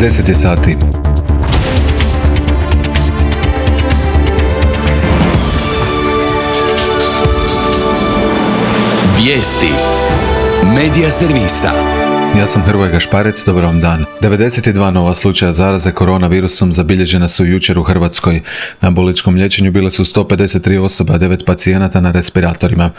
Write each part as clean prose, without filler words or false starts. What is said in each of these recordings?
10 je sati. Vijesti Medija servisa. Ja sam Hrvoje Gašparec, dobar vam dan. 92 nova slučaja zaraze koronavirusom zabilježena su jučer u Hrvatskoj. Na bolničkom liječenju bile su 153 osobe, a 9 pacijenata na respiratorima.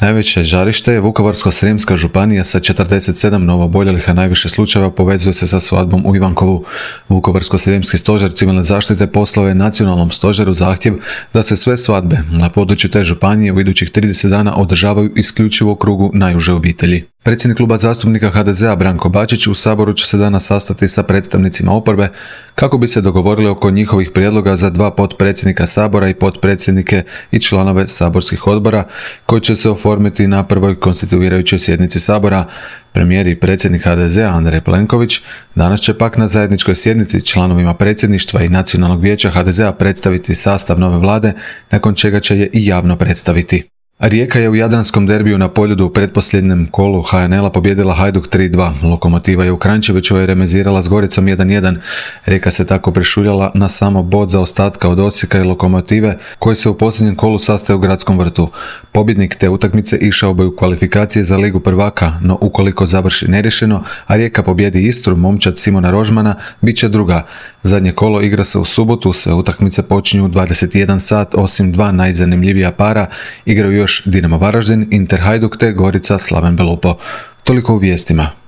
Najveće žarište je Vukovarsko-srijemska županija sa 47 novooboljelih, a najviše slučajeva povezuje se sa svadbom u Ivankovu. Vukovarsko-srijemski stožer civilne zaštite poslao je nacionalnom stožeru zahtjev da se sve svadbe na području te županije u idućih 30 dana održavaju isključivo u krugu najuže obitelji. Predsjednik kluba zastupnika HDZ-a Branko Bačić u Saboru će se danas sastati sa predstavnicima oporbe kako bi se dogovorili oko njihovih prijedloga za 2 potpredsjednika Sabora i potpredsjednike i članove saborskih odbora koji će se oformiti na prvoj konstituirajućoj sjednici Sabora. Premijer i predsjednik HDZ-a Andrej Plenković danas će pak na zajedničkoj sjednici članovima predsjedništva i Nacionalnog vijeća HDZ-a predstaviti sastav nove vlade, nakon čega će je i javno predstaviti. Rijeka je u jadranskom derbiju na Poljudu u pretposljednjem kolu HNL-a pobijedila Hajduk 3-2. Lokomotiva je u Kranjčevićevoj remizirala s Goricom 1-1. Rijeka se tako prešuljala na samo bod zaostatka od Osijeka i Lokomotive, koji se u posljednjem kolu sastaje u Gradskom vrtu. Pobjednik te utakmice išao bi u kvalifikacije za Ligu prvaka, no ukoliko završi neriješeno, a Rijeka pobjedi Istru, momčad Simona Rožmana, bit će druga. Zadnje kolo igra se u subotu, sve utakmice počinju u 21 sat, osim 2 najzanimljivija para, igraju još Dinamo Varaždin, Inter Hajduk te Gorica Slaven Belupo. Toliko u vijestima.